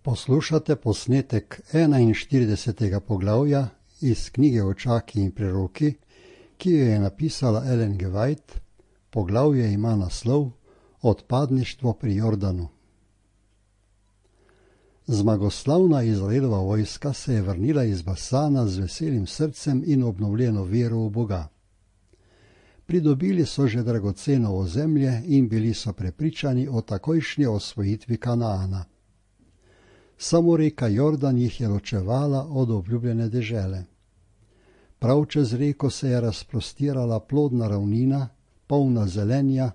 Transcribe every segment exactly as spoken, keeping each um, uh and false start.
Poslušate posnetek enainštiridesetega poglavja iz knjige Očaki in preroki, ki jo je napisala Ellen G. White. Poglavje ima naslov Odpadništvo pri Jordanu. Zmagoslavna Izraelova vojska se je vrnila iz Basana z veselim srcem in obnovljeno vero v Boga. Pridobili so že dragoceno ozemlje in bili so prepričani o takojšnji osvojitvi Kanaana. Samo reka Jordan jih je ločevala od obljubljene dežele. Prav čez reko se je razprostirala plodna ravnina, polna zelenja,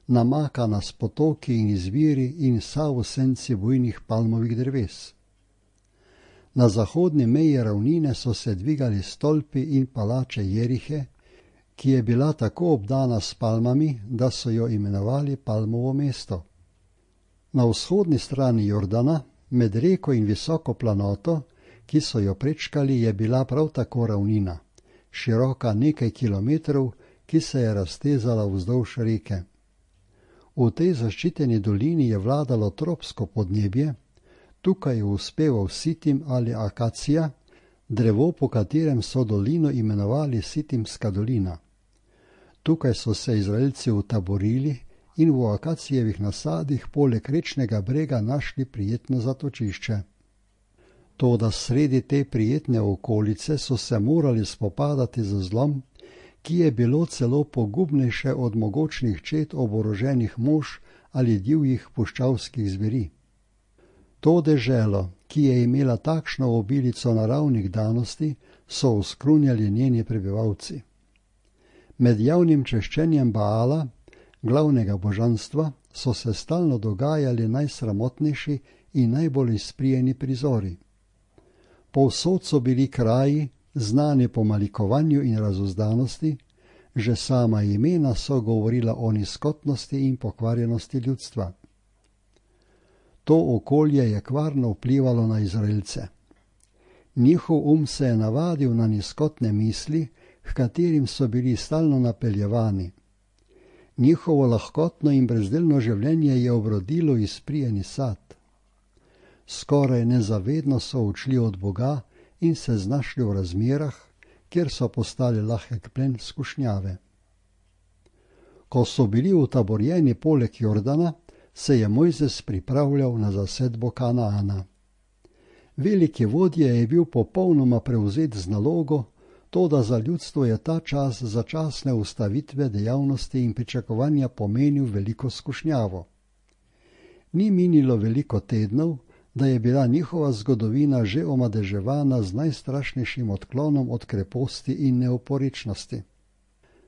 namakana s potoki in izviri in vsa v senci bujnih palmovih dreves. Na zahodni meji ravnine so se dvigali stolpi in palače Jerihe, ki je bila tako obdana s palmami, da so jo imenovali Palmovo mesto. Na vzhodni strani Jordana, med reko in visoko planoto, ki so jo prečkali, je bila prav tako ravnina, široka nekaj kilometrov, ki se je raztezala vzdolž reke. V tej zaščiteni dolini je vladalo tropsko podnebje, tukaj je uspeval sitim ali akacija, drevo, po katerem so dolino imenovali Sitimska dolina. Tukaj so se Izraelci utaborili in v akacijevih nasadih poleg rečnega brega našli prijetno zatočišče. Toda sredi te prijetne okolice so se morali spopadati z zlom, ki je bilo celo pogubnejše od mogočnih čet oboroženih mož ali divjih puščavskih zveri. To deželo, ki je imela takšno obilico naravnih danosti, so oskrunjali njeni prebivalci. Med javnim češčenjem Baala, glavnega božanstva, so se stalno dogajali najsramotnejši in najbolj izprijeni prizori. Povsod so bili kraji, znani po malikovanju in razuzdanosti, že sama imena so govorila o nizkotnosti in pokvarjenosti ljudstva. To okolje je kvarno vplivalo na Izraelce. Njihov um se je navadil na nizkotne misli, h katerim so bili stalno napeljevani. Njihovo lahkotno in brezdelno življenje je obrodilo izprijeni sad. Skoraj nezavedno so odšli od Boga in se znašli v razmerah, kjer so postali lahek plen skušnjave. Ko so bili utaborjeni poleg Jordana, se je Mojzes pripravljal na zasedbo Kanaana. Veliki vodja je bil popolnoma prevzet z nalogo, toda za ljudstvo je ta čas začasne ustavitve dejavnosti in pričakovanja pomenil veliko skušnjavo. Ni minilo veliko tednov, da je bila njihova zgodovina že omadeževana z najstrašnejšim odklonom od kreposti in neoporečnosti.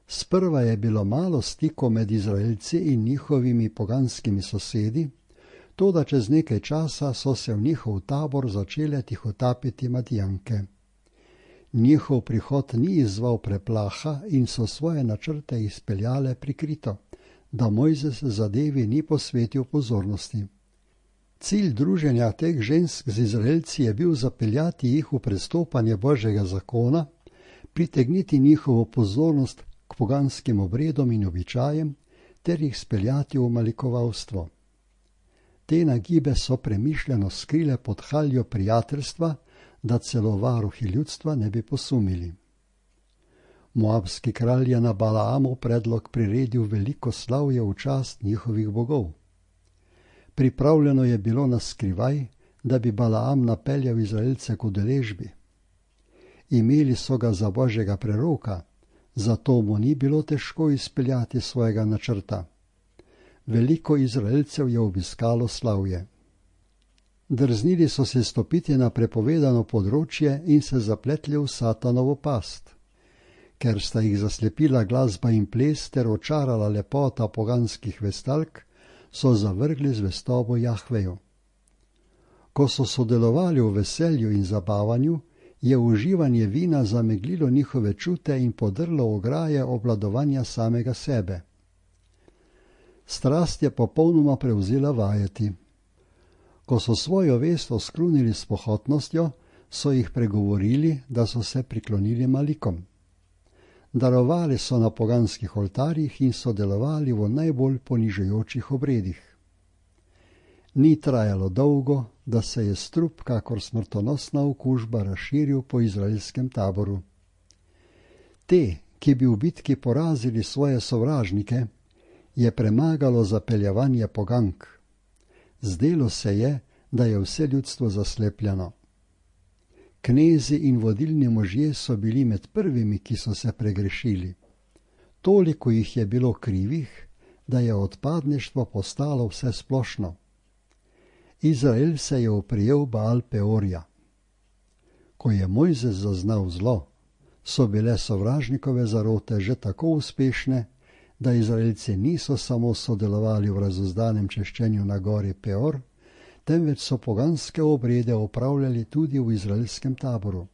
Sprva je bilo malo stikov med Izraelci in njihovimi poganskimi sosedi, toda čez nekaj časa so se v njihov tabor začele tihotapiti Madijanke. Njihov prihod ni izzval preplaha in so svoje načrte izpeljale prikrito, da Mojzes zadevi ni posvetil pozornosti. Cilj druženja teh žensk z Izraelci je bil zapeljati jih v prestopanje Božjega zakona, pritegniti njihovo pozornost k poganskim obredom in običajem ter jih speljati v malikovalstvo. Te nagibe so premišljeno skrile pod haljo prijateljstva, da celo varuhi ljudstva ne bi posumili. Moabski kralj je na Balaamov predlog priredil veliko slavje v čast njihovih bogov. Pripravljeno je bilo na skrivaj, da bi Balaam napeljal Izraelce k udeležbi. Imeli so ga za Božjega preroka, zato mu ni bilo težko izpeljati svojega načrta. Veliko Izraelcev je obiskalo slavje. Drznili so se stopiti na prepovedano področje in se zapletli v satanovo past. Ker sta jih zaslepila glasba in ples ter očarala lepota poganskih vestalk, so zavrgli zvestobo Jahveju. Ko so sodelovali v veselju in zabavanju, je uživanje vina zameglilo njihove čute in podrlo ograje obvladovanja samega sebe. Strast je popolnoma prevzela vajeti. Ko so svojo vest oskrunili s pohotnostjo, so jih pregovorili, da so se priklonili Malikom. Darovali so na poganskih oltarjih in sodelovali v najbolj ponižujočih obredih. Ni trajalo dolgo, da se je strup kakor smrtonosna okužba razširil po izraelskem taboru. Te, ki bi v bitki porazili svoje sovražnike, je premagalo zapeljevanje pogank. Zdelo se je, da je vse ljudstvo zaslepljeno. Knezi in vodilni možje so bili med prvimi, ki so se pregrešili. Toliko jih je bilo krivih, da je odpadništvo postalo vse splošno. Izrael se je oprijel Baal Peorja. Ko je Mojzes zaznal zlo, so bile sovražnikove zarote že tako uspešne, da Izraelci niso samo sodelovali v razuzdanem češčenju na gori Peor, temveč so poganske obrede opravljali tudi v izraelskem taboru.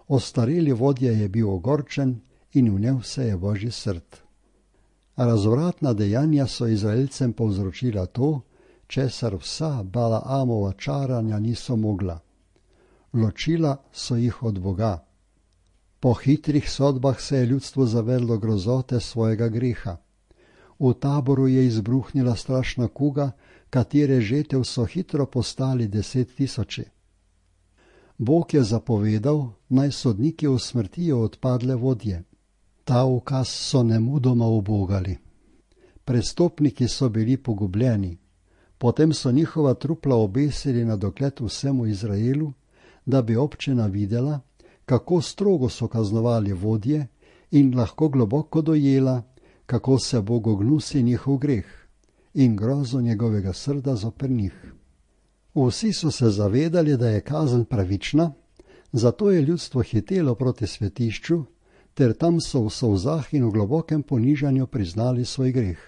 Ostareli vodja je bil ogorčen in vnel se je Božji srd. Razvratna dejanja so Izraelcem povzročila to, česar vsa Balaamova čaranja niso mogla. Ločila so jih od Boga. Po hitrih sodbah se je ljudstvo zavedlo grozote svojega greha. V taboru je izbruhnila strašna kuga, katere žetev so hitro postali deset tisoči. Bog je zapovedal, naj sodniki usmrtijo odpadle vodje. Ta ukaz so nemudoma ubogali. Prestopniki so bili pogubljeni. Potem so njihova trupla obesili na dogled vsemu Izraelu, da bi občina videla, kako strogo so kaznovali vodje in lahko globoko dojela, kako se Bogu gnusi njihov greh in grozo njegovega srda zoper njih. Vsi so se zavedali, da je kazen pravična, zato je ljudstvo hitelo proti svetišču, ter tam so v solzah in v globokem ponižanju priznali svoj greh.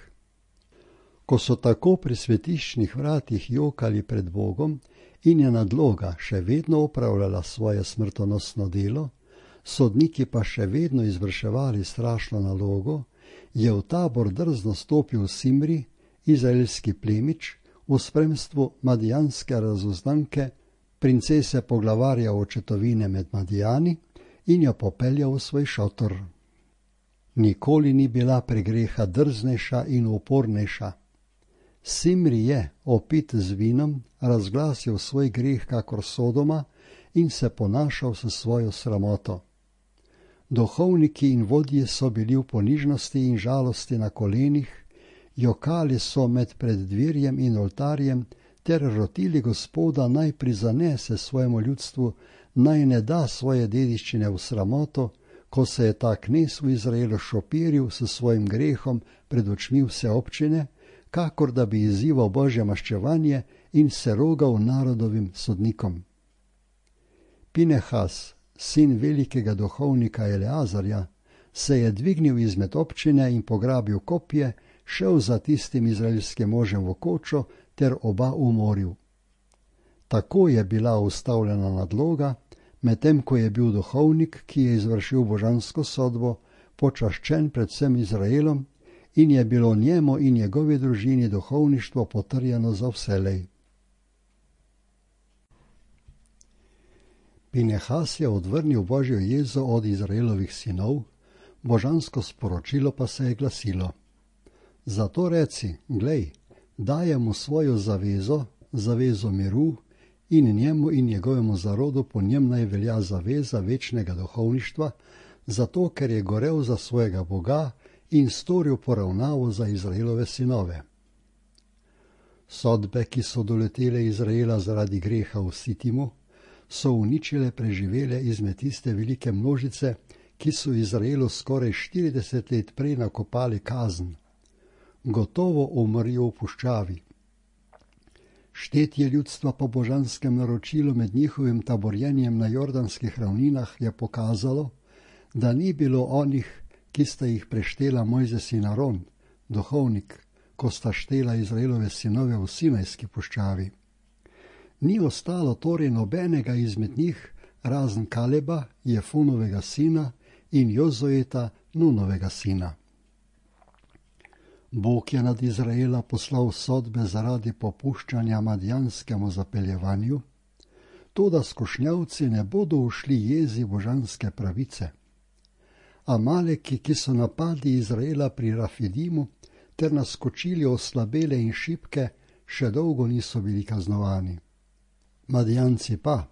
Ko so tako pri svetiščnih vratih jokali pred Bogom in je nadloga še vedno opravljala svoje smrtonosno delo, sodniki pa še vedno izvrševali strašno nalogo, je v tabor drzno stopil Simri, izraelski plemič, v spremstvu madijanske razuznanke, princese poglavarja očetovine med Madijani, in jo popeljal v svoj šotor. Nikoli ni bila pregreha drznejša in upornejša. Simri je, opit z vinom, razglasil svoj greh kakor Sodoma in se ponašal s svojo sramoto. Duhovniki in vodje so bili v ponižnosti in žalosti na kolenih, jokali so med preddverjem in oltarjem ter rotili Gospoda, naj prizanese svojemu ljudstvu, naj ne da svoje dediščine v sramoto, ko se je ta knez v Izraelu šopiril s svojim grehom pred očmi vse občine, kakor da bi izzival Božje maščevanje in se rogal narodovim sodnikom. Pinehas, sin velikega duhovnika Eleazarja, se je dvignil izmed občine in pograbil kopje, šel za tistim izraelskim možem v kočo ter oba umoril. Tako je bila ustavljena nadloga, medtem ko je bil duhovnik, ki je izvršil božansko sodbo, počaščen pred vsem Izraelom in je bilo njemu in njegovi družini duhovništvo potrjeno za vselej. Pinehas je odvrnil Božjo jezo od Izraelovih sinov, božansko sporočilo pa se je glasilo: Zato reci, glej, dajem mu svojo zavezo, zavezo miru, in njemu in njegovemu zarodu po njem naj velja zaveza večnega duhovništva, zato ker je gorel za svojega Boga in storil poravnavo za Izraelove sinove. Sodbe, ki so doletele Izraela zaradi greha v Sitimu, so uničile preživele izmed tiste velike množice, ki so Izraelu skoraj štirideset let prej nakopali kazen. Gotovo umrjo v puščavi. Štetje ljudstva po božanskem naročilu med njihovim taborjenjem na jordanskih ravninah je pokazalo, da ni bilo onih, ki sta jih preštela Mojzes in Aron, duhovnik, ko sta štela Izraelove sinove v Sinajski puščavi. Ni ostalo torej nobenega izmed njih, razen Kaleba, Jefunovega sina, in Jozojeta, Nunovega sina. Bog je nad Izraela poslal sodbe zaradi popuščanja madijanskemu zapeljevanju, toda skušnjavci ne bodo ušli jezi božanske pravice. Amaleki, ki so napadli Izraela pri Rafidimu ter naskočili oslabele in šibke, še dolgo niso bili kaznovani. Madijanci pa,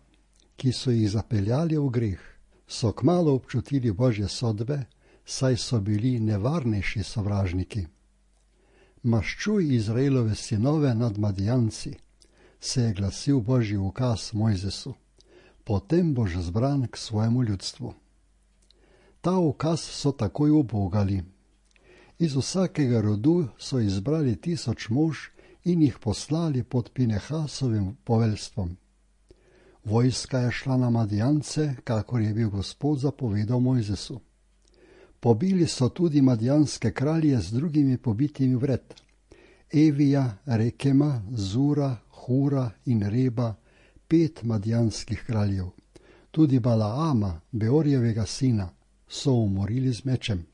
ki so jih zapeljali v greh, so kmalu občutili Božje sodbe, saj so bili nevarnejši sovražniki. Maščuj Izraelove sinove nad Madijanci, se je glasil Božji ukaz Mojzesu, potem boš zbran k svojemu ljudstvu. Ta ukaz so takoj ubogali. Iz vsakega rodu so izbrali tisoč mož in jih poslali pod Pinehasovim poveljstvom. Vojska je šla na Madijance, kakor je bil Gospod zapovedal Mojzesu. Pobili so tudi madijanske kralje z drugimi pobitimi vred, Evija, Rekema, Zura, Hura in Reba, pet madijanskih kraljev. Tudi Balaama, Beorjevega sina, so umorili z mečem.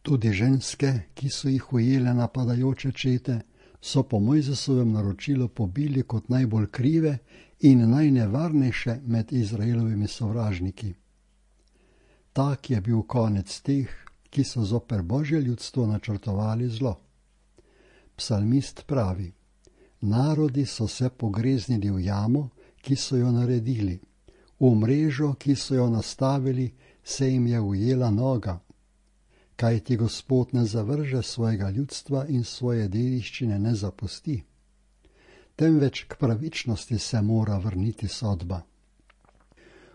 Tudi ženske, ki so jih ujele napadajoče čete, so po Mojzesovem naročilu pobili kot najbolj krive in najnevarnejše med Izraelovimi sovražniki. Tak je bil konec teh, ki so zoper Božje ljudstvo načrtovali zlo. Psalmist pravi: narodi so se pogreznili v jamo, ki so jo naredili, v mrežo, ki so jo nastavili, se jim je ujela noga. Kajti Gospod ne zavrže svojega ljudstva in svoje dediščine ne zapusti. Temveč k pravičnosti se mora vrniti sodba.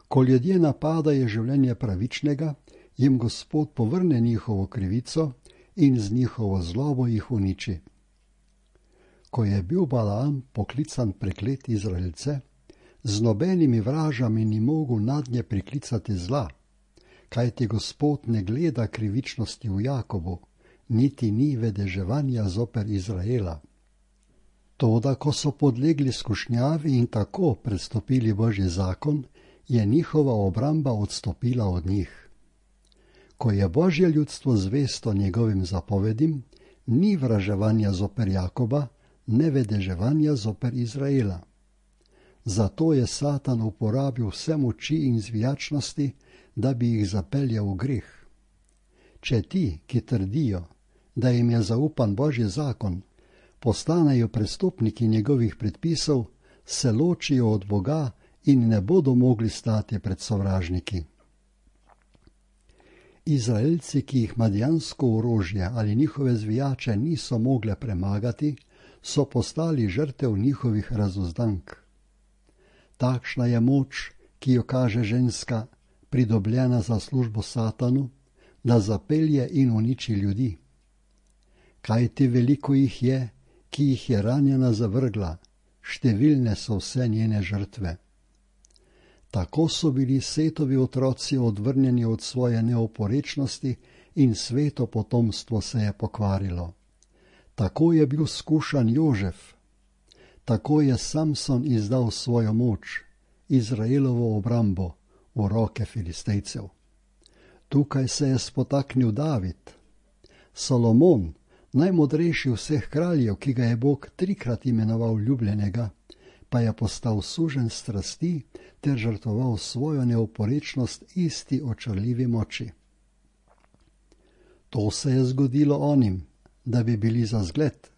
Ko ljudje napadajo življenje pravičnega, jim Gospod povrne njihovo krivico in z njihovo zlobo jih uniči. Ko je bil Balaam poklican prekleti Izraelce, z nobenimi vražami ni mogel nadnje priklicati zla, kajti Gospod ne gleda krivičnosti v Jakobu, niti ni vedeževanja zoper Izraela. Toda, ko so podlegli skušnjavi in tako prestopili Božji zakon, je njihova obramba odstopila od njih. Ko je Božje ljudstvo zvesto njegovim zapovedim, ni vraževanja zoper Jakoba, ne vedeževanja zoper Izraela. Zato je Satan uporabil vse moči in zvijačnosti, da bi jih zapeljal v greh. Če ti, ki trdijo, da jim je zaupan Božji zakon, postanejo prestopniki njegovih predpisov, se ločijo od Boga in ne bodo mogli stati pred sovražniki. Izraelci, ki jih madijansko orožje ali njihove zvijače niso mogle premagati, so postali žrtev njihovih razuzdank. Takšna je moč, ki jo kaže ženska, pridobljena za službo Satanu, da zapelje in uniči ljudi. Kajti veliko jih je, ki jih je ranjena zavrgla, številne so vse njene žrtve. Tako so bili Setovi otroci odvrnjeni od svoje neoporečnosti in sveto potomstvo se je pokvarilo. Tako je bil skušan Jožef. Tako je Samson izdal svojo moč, Izraelovo obrambo, v roke Filistejcev. Tukaj se je spotaknil David. Solomon, najmodrejši vseh kraljev, ki ga je Bog trikrat imenoval ljubljenega, pa je postal suženj strasti ter žrtvoval svojo neoporečnost isti očarljivi moči. To se je zgodilo onim, da bi bili za zgled.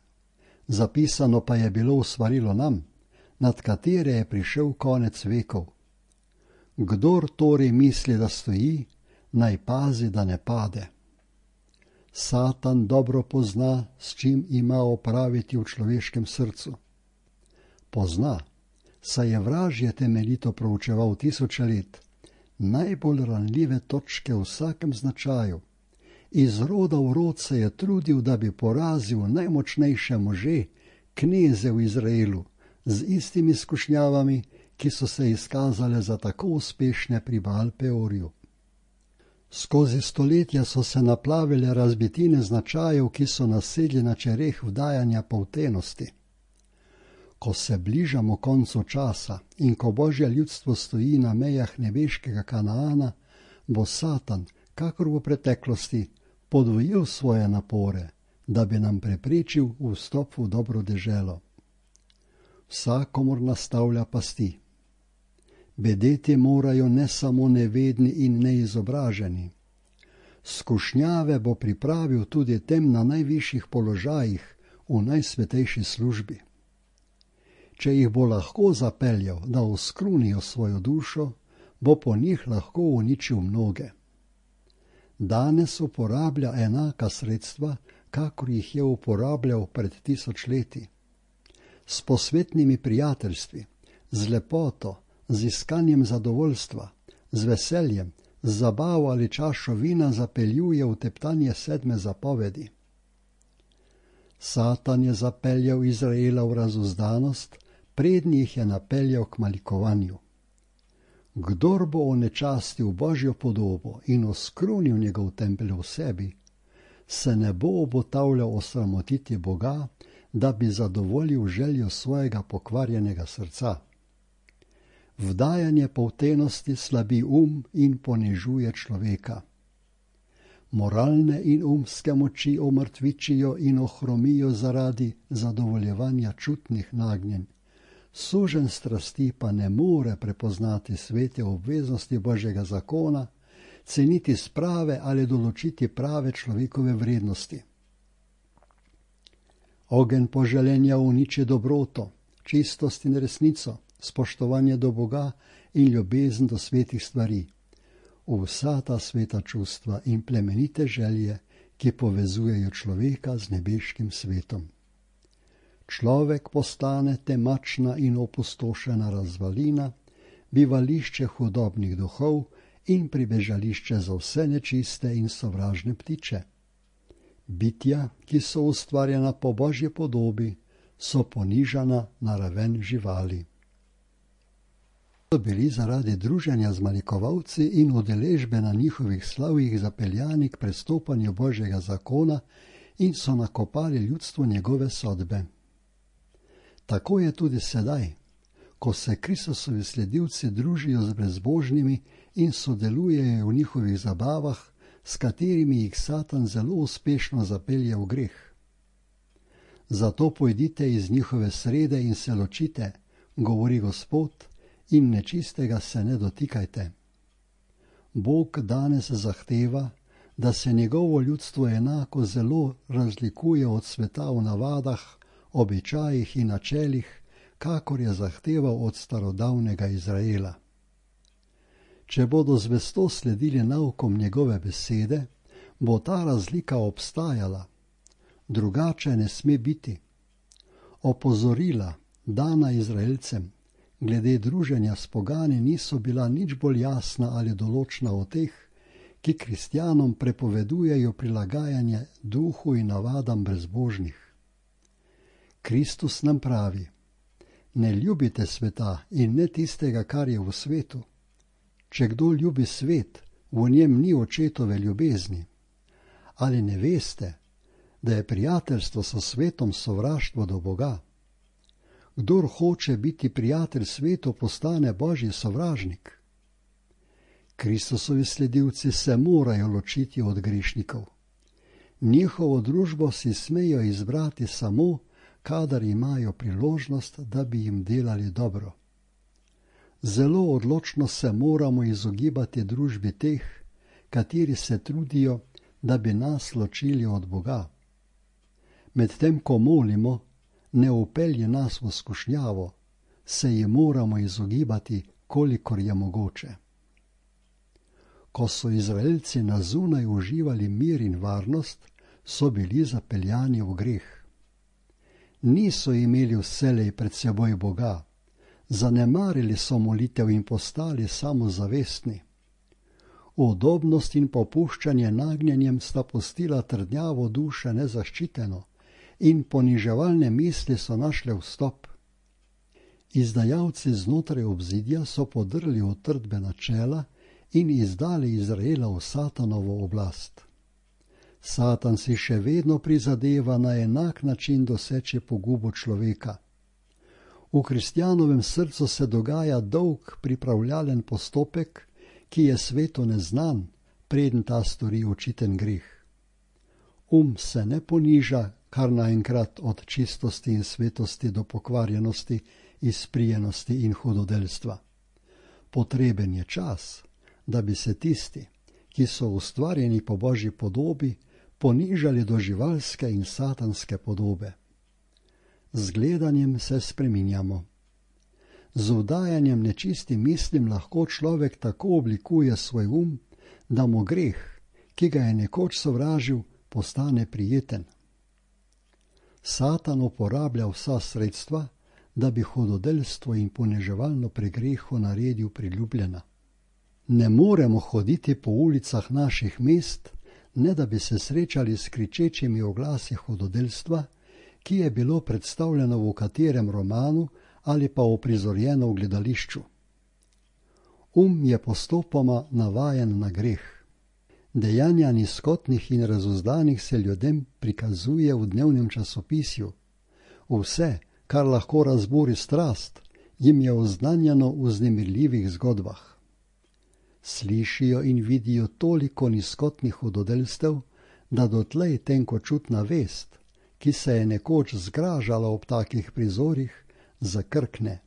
Zapisano pa je bilo v svarilo nam, nad katere je prišel konec vekov. Kdor torej misli, da stoji, naj pazi, da ne pade. Satan dobro pozna, s čim ima opraviti v človeškem srcu. Pozna, saj je vražje temeljito proučeval tisoče let, najbolj ranljive točke v vsakem značaju. Iz roda v rod se je trudil, da bi porazil najmočnejše može, kneze v Izraelu, z istimi skušnjavami, ki so se izkazale za tako uspešne pri Baal Peorju. Skozi stoletja so se naplavile razbitine značajev, ki so nasedli na čereh vdajanja poltenosti. Ko se bližamo koncu časa in ko Božje ljudstvo stoji na mejah nebeškega Kanaana, bo Satan, kakor v preteklosti, podvojil svoje napore, da bi nam preprečil vstop v dobro deželo. Vsakomur nastavlja pasti. Bedeti morajo ne samo nevedni in neizobraženi. Skušnjave bo pripravil tudi tem na najvišjih položajih v najsvetejši službi. Če jih bo lahko zapeljal, da oskrunijo svojo dušo, bo po njih lahko uničil mnoge. Danes uporablja enaka sredstva, kakor jih je uporabljal pred tisočletji. S posvetnimi prijateljstvi, z lepoto, z iskanjem zadovoljstva, z veseljem, z zabavo ali čašo vina zapeljuje v teptanje sedme zapovedi. Satan je zapeljal Izraela v razuzdanost, prednji jih je napeljal k malikovanju. Kdor bo onečastil Božjo podobo in oskrunil njegov tempelj v sebi, se ne bo obotavljal osramotiti Boga, da bi zadovoljil željo svojega pokvarjenega srca. Vdajanje poltenosti slabi um in ponižuje človeka. Moralne in umske moči omrtvičijo in ohromijo zaradi zadovoljevanja čutnih nagnjenj. Suženj strasti pa ne more prepoznati svete obveznosti Božjega zakona, ceniti sprave ali določiti prave človekove vrednosti. Ogenj poželenja uniči dobroto, čistost in resnico, spoštovanje do Boga in ljubezen do svetih stvari. Vsa ta sveta čustva in plemenite želje, ki povezujejo človeka z nebeškim svetom. Človek postane temačna in opustošena razvalina, bivališče hudobnih duhov in pribežališče za vse nečiste in sovražne ptiče. Bitja, ki so ustvarjena po Božji podobi, so ponižana na raven živali. So bili zaradi druženja z malikovalci in udeležbe na njihovih slavjih zapeljani k prestopanju Božjega zakona in so nakopali ljudstvo njegove sodbe. Tako je tudi sedaj, ko se Kristusovi sledilci družijo z brezbožnimi in sodelujejo v njihovih zabavah, s katerimi jih Satan zelo uspešno zapelje v greh. Zato pojdite iz njihove srede in se ločite, govori Gospod, in nečistega se ne dotikajte. Bog danes zahteva, da se njegovo ljudstvo enako zelo razlikuje od sveta v navadah, običajih in načelih, kakor je zahteval od starodavnega Izraela. Če bodo zvesto sledili naukom njegove besede, bo ta razlika obstajala, drugače ne sme biti. Opozorila, dana Izraelcem, glede druženja s pogani niso bila nič bolj jasna ali določna od teh, ki kristjanom prepovedujejo prilagajanje duhu in navadam brezbožnih. Kristus nam pravi: ne ljubite sveta in ne tistega, kar je v svetu. Če kdo ljubi svet, v njem ni očetove ljubezni. Ali ne veste, da je prijateljstvo s svetom sovraštvo do Boga? Kdor hoče biti prijatelj svetu, postane Božji sovražnik. Kristusovi sledilci se morajo ločiti od grešnikov. Njihovo družbo si smejo izbrati samo, kadar imajo priložnost, da bi jim delali dobro. Zelo odločno se moramo izogibati družbi teh, kateri se trudijo, da bi nas ločili od Boga. Medtem ko molimo, ne upelje nas v skušnjavo, se ji moramo izogibati, kolikor je mogoče. Ko so Izraelci na zunaj uživali mir in varnost, so bili zapeljani v greh. Niso imeli vselej pred seboj Boga, zanemarili so molitev in postali samozavestni. Udobnost in popuščanje nagnjenjem sta pustila trdnjavo duše nezaščiteno in poniževalne misli so našle vstop. Izdajalci znotraj obzidja so podrli utrdbe načela in izdali Izraela v Satanovo oblast. Satan si še vedno prizadeva na enak način doseči pogubo človeka. V kristjanovem srcu se dogaja dolg pripravljalen postopek, ki je svetu neznan, preden ta stori očiten greh. Um se ne poniža kar naenkrat od čistosti in svetosti do pokvarjenosti, izprijenosti in hudodelstva. Potreben je čas, da bi se tisti, ki so ustvarjeni po Božji podobi, ponižali do živalske in satanske podobe. Z gledanjem se spreminjamo. Z vdajanjem nečistim mislim lahko človek tako oblikuje svoj um, da mu greh, ki ga je nekoč sovražil, postane prijeten. Satan uporablja vsa sredstva, da bi hudodelstvo in poniževalno pregreho naredil priljubljena. Ne moremo hoditi po ulicah naših mest, ne da bi se srečali s kričečimi oglasi hudodelstva, ki je bilo predstavljeno v katerem romanu ali pa uprizorjeno v gledališču. Um je postopoma navajen na greh. Dejanja nizkotnih in razuzdanih se ljudem prikazuje v dnevnem časopisju. Vse, kar lahko razburi strast, jim je oznanjeno v vznemirljivih zgodbah. Slišijo in vidijo toliko nizkotnih hudodelstev, da dotlej tenkočutna vest, ki se je nekoč zgražala ob takih prizorih, zakrkne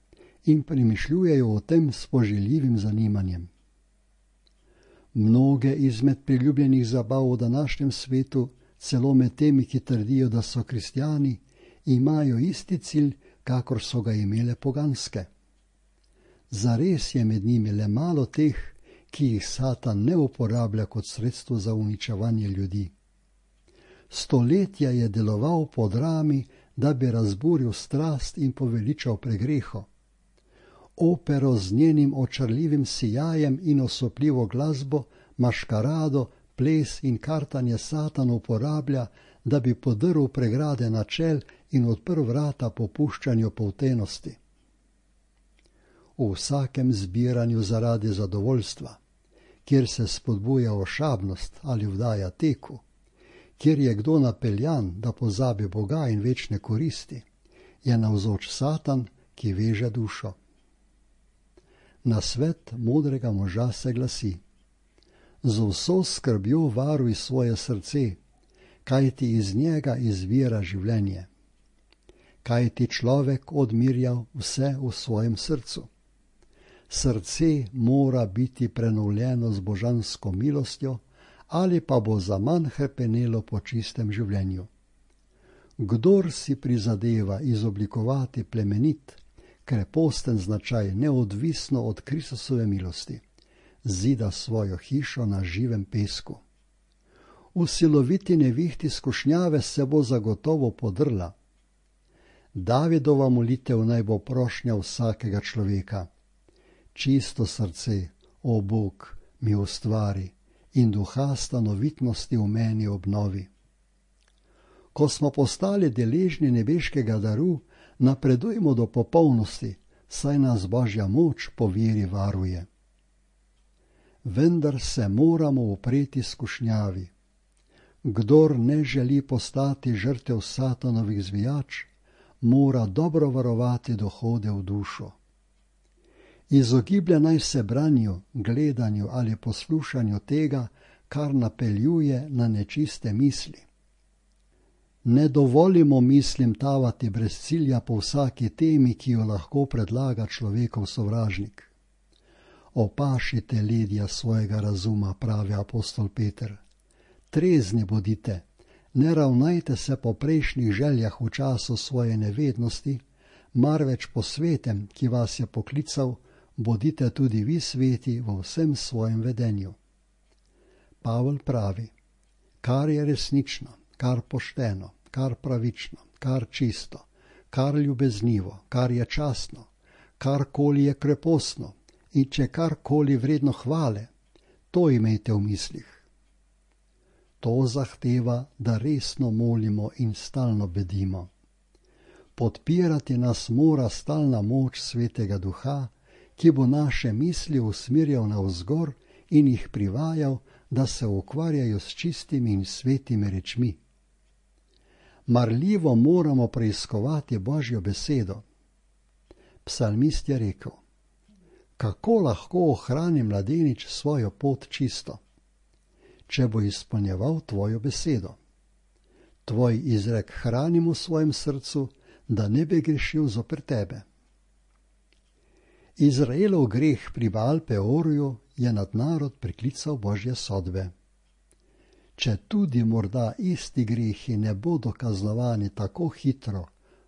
in premišljujejo o tem s poželjivim zanimanjem. Mnoge izmed priljubljenih zabav v današnjem svetu, celo med temi, ki trdijo, da so kristjani, imajo isti cilj, kakor so ga imele poganske. Zares je med njimi le malo teh, ki jih Satan ne uporablja kot sredstvo za uničevanje ljudi. Stoletja je deloval po drami, da bi razburil strast in poveličal pregreho. Opero z njenim očarljivim sijajem in osupljivo glasbo, maškarado, ples in kartanje Satan uporablja, da bi podrl pregrade načel in odprl vrata popuščanju poltenosti. V vsakem zbiranju zaradi zadovoljstva, kjer se spodbuja ošabnost ali vdaja teku, kjer je kdo napeljan, da pozabi Boga in večne koristi, je navzoč Satan, ki veže dušo. Nasvet modrega moža se glasi: z vso skrbjo varuj svoje srce, kajti iz njega izvira življenje. Kajti človek odmirja vse v svojem srcu. Srce mora biti prenovljeno z božansko milostjo, ali pa bo zaman hrepenelo po čistem življenju. Kdor si prizadeva izoblikovati plemenit, kreposten značaj neodvisno od Kristusove milosti, zida svojo hišo na živem pesku. V siloviti nevihti skušnjave se bo zagotovo podrla. Davidova molitev naj bo prošnja vsakega človeka. Čisto srce, o Bog, mi ustvari in duha stanovitnosti v meni obnovi. Ko smo postali deležni nebeškega daru, napredujmo do popolnosti, saj nas Božja moč po veri varuje. Vendar se moramo upreti skušnjavi. Kdor ne želi postati žrtev Satanovih zvijač, mora dobro varovati dohode v dušo. Izogiblja naj se branju, gledanju ali poslušanju tega, kar napeljuje na nečiste misli. Ne dovolimo mislim tavati brez cilja po vsaki temi, ki jo lahko predlaga človekov sovražnik. Opašite ledja svojega razuma, pravi apostol Peter. Trezni bodite, ne ravnajte se po prejšnjih željah v času svoje nevednosti, marveč po svetem, ki vas je poklical, bodite tudi vi sveti v vsem svojem vedenju. Pavel pravi: kar je resnično, kar pošteno, kar pravično, kar čisto, kar ljubeznivo, kar je častno, karkoli je krepostno in če karkoli vredno hvale, to imejte v mislih. To zahteva, da resno molimo in stalno bedimo. Podpirati nas mora stalna moč Svetega Duha, ki bo naše misli usmerjal navzgor in jih privajal, da se ukvarjajo s čistimi in svetimi rečmi. Marljivo moramo preiskovati Božjo besedo. Psalmist je rekel: kako lahko ohrani mladenič svojo pot čisto, če bo izpolnjeval tvojo besedo. Tvoj izrek hranim v svojem srcu, da ne bi grešil zoper tebe. Izraelov greh pri Baal Peorju je nad narod priklical Božje sodbe. Če tudi morda isti grehi ne bodo kaznovani tako hitro,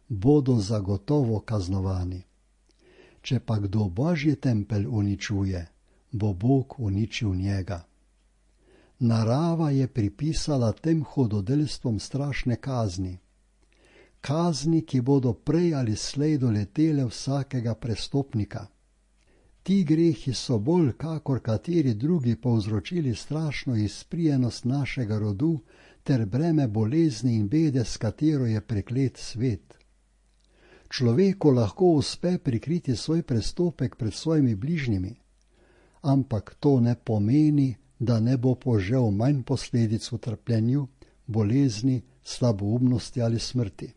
bodo zagotovo kaznovani. Če pa kdo Božji tempelj uničuje, bo Bog uničil njega. Narava je pripisala tem hudodelstvom strašne kazni. Kazni, ki bodo prej ali slej doletele vsakega prestopnika. Ti grehi so bolj kakor kateri drugi povzročili strašno izprijenost našega rodu ter breme bolezni in bede, s katero je preklet svet. Človeku lahko uspe prikriti svoj prestopek pred svojimi bližnjimi, ampak to ne pomeni, da ne bo požel manj posledic v trpljenju, bolezni, slaboumnosti ali smrti.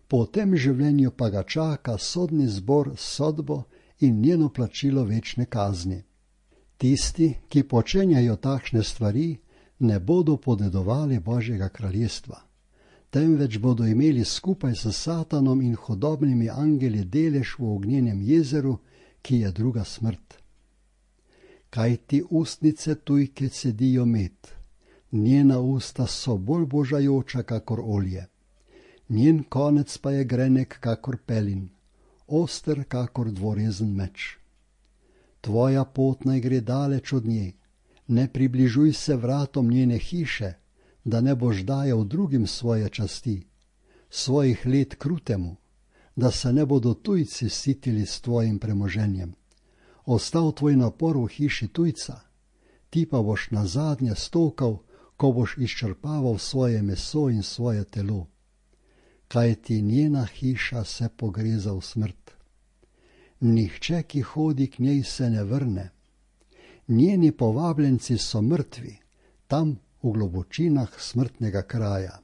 Po tem življenju pa ga čaka sodni zbor s sodbo in njeno plačilo večne kazni. Tisti, ki počenjajo takšne stvari, ne bodo podedovali Božjega kraljestva, temveč bodo imeli skupaj s Satanom in hudobnimi angeli delež v ognjenem jezeru, ki je druga smrt. Kaj ti ustnice tujke cedijo med, njena usta so bolj božajoča kakor olje, njen konec pa je grenek kakor pelin, oster kakor dvorezen meč. Tvoja pot naj gre daleč od nje, ne približuj se vratom njene hiše, da ne boš dajal drugim svoje časti, svojih let krutemu, da se ne bodo tujci sitili s tvojim premoženjem. Ostal tvoj napor v hiši tujca, ti pa boš nazadnje stokal, ko boš izčrpaval svoje meso in svoje telo. Kaj ti njena hiša se pogreza v smrt. Nihče, ki hodi k njej, se ne vrne. Njeni povabljenci so mrtvi, tam v globočinah smrtnega kraja.